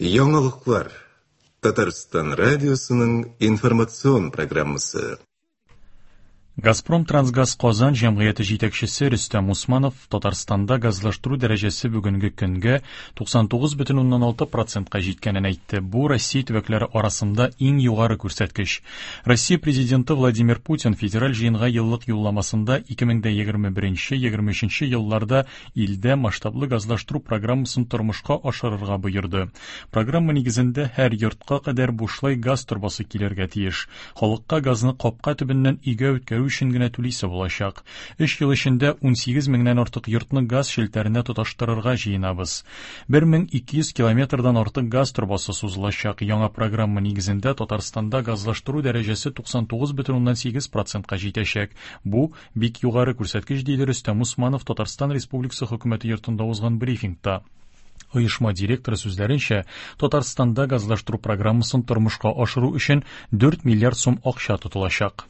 Яңалыклар. Татарстан радиосының информацион программасы. Газпром Трансгаз Казан җәмгыяте җитәкчесе Рөстәм Усманов Татарстанда газлаштыру дәрәҗәсе бүгенге көнгә 99,6 процентка җиткәнен әйтте. Бу Россия төбәкләре арасында иң югары күрсәткеч. Россия Президенты Владимир Путин федераль җыенга еллык юлламасында 2021-2023 елларда илдә масштаблы газлаштыру программасын тормышка ашырырга боерды. Программа нигезендә һәр йортка кадәр бушлай газ торбасы килергә тиеш. Халыкка газны капка төбеннән өйгә үткәрү өчен генә түлисе булачак. Өч ел эчендә 18 меңнән артык йортны газ челтәренә тоташтырырга җыенабыз. 1200 километрдан артык газ торбасы сузылачак. Яңа программа нигезендә Татарстанда газлаштыру дәрәҗәсе 99,8 процентка җитәчәк. Бу бик югары күрсәткеч, диде Рөстәм Усманов Татарстан Республикасы Хөкүмәте йортында узган брифингта. Оешма директоры сүзләренчә, Татарстанда газлаштыру программасын тормышка ашыру өчен 4 миллиард сум акча тотылачак.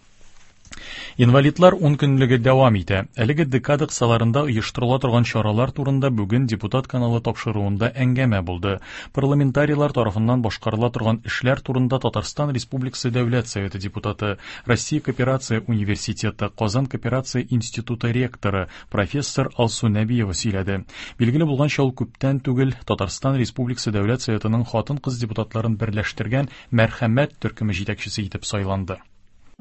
Инвалидлар ункөнлеге дәвам итә. Әлеге декада кысаларында оештырыла торган чаралар турында бүген депутат каналы тапшыруында әңгәмә булды. Парламентарийлар тарафыннан башкарыла торган эшләр турында Татарстан Республикасы Дәүләт Советы депутаты, Россия Кооперация университеты, Казан кооперация институты ректоры, профессор Алсу Нәбиева сөйләде. Билгеле булганча, ул күптән түгел Татарстан Республикасы Дәүләт Советының хатын-кыз депутатларын берләштергән Мәрхәмәт төркеме җитәкчесе итеп сайланды.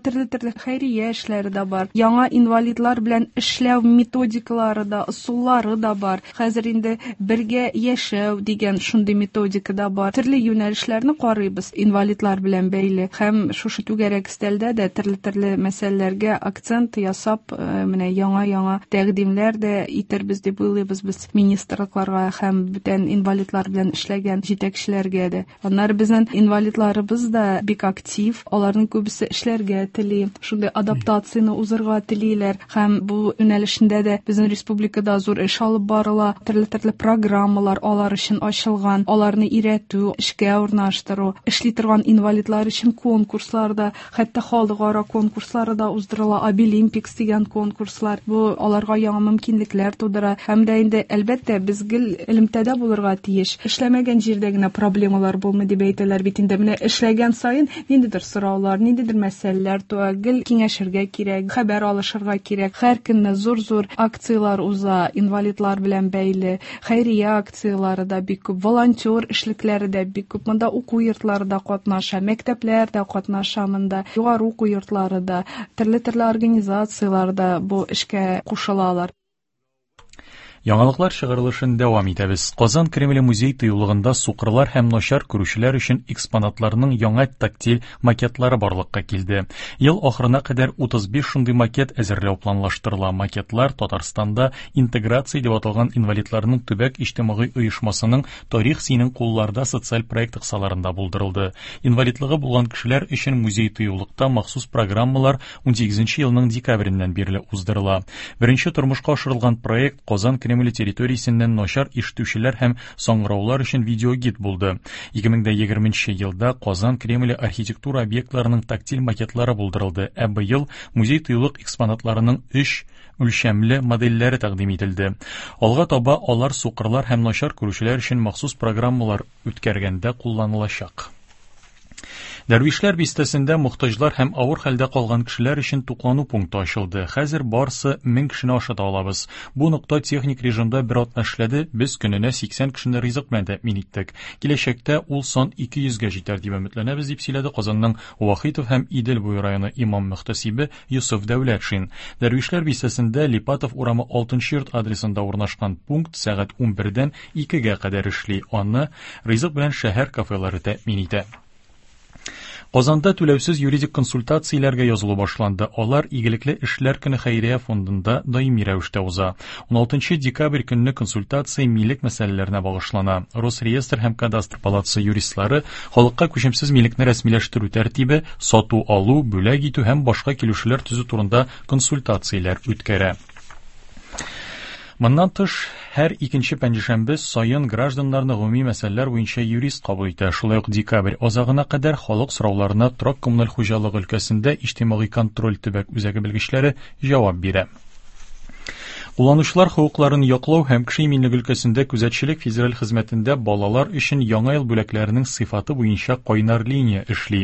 Төрле-төрле хәйрия эшләре дә бар. Яңа инвалидлар белән эшләү методикалары да, ысуллары да бар. Хәзер инде бергә яшәү дигән шундый методика да бар. Төрле юнәлешләрне карыйбыз инвалидлар белән бәйле. Һәм шушы түгәрәк өстәлдә дә төрле-төрле мәсьәләләргә акцент ясап, э, менә яңа-яңа тәкъдимнәр дә итербез дип уйлыйбыз без министрлыкларга һәм бүтән инвалидлар белән эшләгән җитәкчеләргә дә. Аннары безнең инвалидларыбыз да бик актив, аларның күбесе эшләргә тели, шундый адаптацияне узырга телиләр һәм бу юнәлешендә дә безнең республикада зур эш алып барыла, төрле-төрле программалар алар өчен ачылган, аларны өйрәтү, эшкә урнаштыру, эшли торган инвалидлар өчен конкурслар да, хәтта халыкара конкурслары да уздырыла, Абилимпикс дигән конкурслар. Бу аларга яңа мөмкинлекләр тудыра. Һәм дә инде, әлбәттә, без гел элемтәдә булырга тиеш. Эшләмәгән җирдә генә проблемалар булмый дип әйтәләр бит инде. Менә эшләгән саен ниндидер сораулар, ниндидер мәсьәләләр туа, гел киңәшергә кирәк, хәбәр алышырга кирәк. Һәр көнне зур-зур акцияләр уза, инвалидлар белән бәйле. Хәйрия акцияләре дә бик күп, волонтер эшлекләре дә бик күп. Монда уку йортлары да катнаша, мәктәпләр дә катнаша монда, югары уку йортлары да, төрле-төрле организацияләр дә бу эшкә кушылалар. Яңалыклар чыгарылышын дәвам итәбез. Казан Кремле музей тыюлыгында сукырлар һәм начар күрүчеләр өчен экспонатларның яңа тактиль макетлары барлыкка килде. Ел ахырына кадәр 35 шундый макет әзерләү планлаштырыла. Макетлар Татарстанда Интеграция дип аталган инвалидларның төбәк иҗтимагый оешмасының Тарих синең кулларда социаль проекты кысаларында булдырылды. Инвалидлыгы булган кешеләр өчен музей-тыюлыкта махсус программалар 18 елның декабреннән бирле уздырыла. Беренче тормышка ашырылган проект Казан Кремле территориясеннән начар ишетүчеләр һәм саңгыраулар өчен видеогид булды. 2020 елда Казан Кремле архитектура объектларының тактиль макетлары булдырылды, ә быел музей-тыюлык экспонатларының өч үлчәмле модельләре тәкъдим ителде. Алга таба алар сукырлар һәм начар күрүчеләр өчен махсус программалар үткәргәндә кулланылачак. Дәрвишләр бистәсендә мохтаҗлар һәм авыр хәлдә калган кешеләр өчен туклану пункты ачылды. Хәзер барсы 1000 кешене ашата алабыз. Бу нокта техник режимда бер атна эшләде, без көненә 80 кешене ризык белән тәэмин иттек. Киләчәктә ул сан 200 гә җитәр дип өметләнәбез, дип сөйләде Казанның Вахитов һәм Идел буе районы имам-мөхтәсибе Йосыф Дәүләтшин. Дәрвишләр бистәсендә Липатов урамы 6 нчы йорт адресында урнашкан пункт сәгать 11дән 2 гә кадәр эшли. Аны ризык белән шәһәр кафелары тәэмин итә. Казанда түләүсез юридик консультацияләргә язылу башланды. Алар Игелекле эшләр көне хәйрия фондында даими рәвештә уза. 16 декабрь көнне консультация милек мәсьәләләренә багышлана. Росреестр һәм Кадастр палатасы юристлары халыкка күчемсез милекне рәсмиләштерү тәртибе, сату-алу, бүләк итү һәм башка килешүләр төзү турында консультацияләр үткәрә. Моннан тыш, һәр икенче пәнҗешәмбе саен гражданнарны гомуми мәсьәләләр буенча юрист кабул итә. Шулай ук декабрь азагына кадәр халык сорауларына торак-коммуналь хуҗалыгы өлкәсендә иҗтимагый контроль төбәк үзәге белгечләре җавап бирә. Кулланучылар хокукларын яклау һәм кеше иминлеге өлкәсендә күзәтчелек федераль хезмәтендә балалар өчен яңа ел бүләкләренең сыйфаты буенча кайнар линия эшли.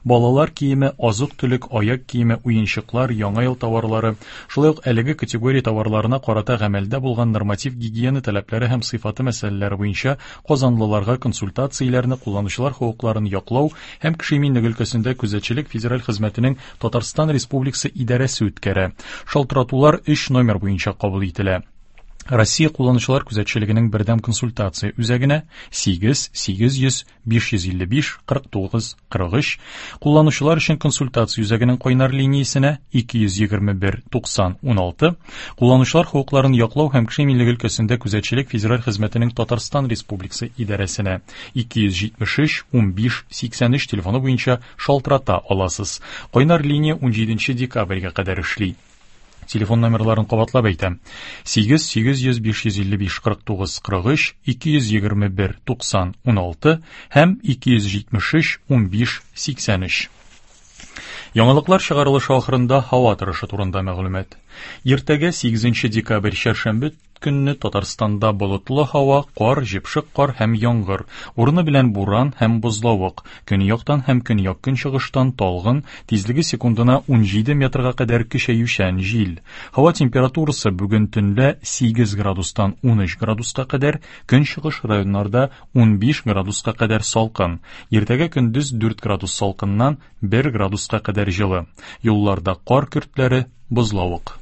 Балалар киеме, азык-төлек, аяк киеме, уенчыклар, яңа ел товарлары, шулай ук әлеге категория товарларына карата гамәлдә булган норматив гигиена таләпләре һәм сыйфаты мәсьәләләре буенча казанлыларга консультацияләрне кулланучылар хокукларын яклау һәм кеше иминлеге өлкәсендә күзәтчелек федераль хезмәтенең Татарстан Республикасы идарәсе үткәрә. Шалтыратулар 3 номер буенча кабул ителә. Россия кулланучылар күзәтчелегенең бердәм консультация үзәгенә 8 800 555 49 43, кулланучылар өчен консультация үзәгенең кайнар линиясенә 221 90 16, кулланучылар хокукларын яклау һәм кеше иминлеге өлкәсендә күзәтчелек федераль хезмәтенең Татарстан Республикасы идарәсенә 273 15 83 телефоны буенча шалтырата аласыз. Кайнар линия 17 декабрьгә кадәр эшли. Телефон номерларын кабатлап әйтәм. 8 800 555 49 43, 221 90 16 һәм 273 15 83. Яңалыклар чыгарылышы ахырында һава торышы турында мәгълүмат. Иртәгә 8 декабрь чәршәмбе көнне Татарстанда болытлы һава, кар, җепшек кар һәм яңгыр, урыны белән буран һәм бозлавык, көньяктан һәм көньяк-көнчыгыштан талгын, тизлеге секундына 17 метрга кадәр көчәючән җил. Һава температурасы бүген төнлә 8 градустан 13 градуска кадәр, көнчыгыш районнарда 15 градуска кадәр салкын. Иртәгә көндез 4 градус салкыннан 1 градуска кадәр җылы. Юлларда кар көртләре, бозлавык.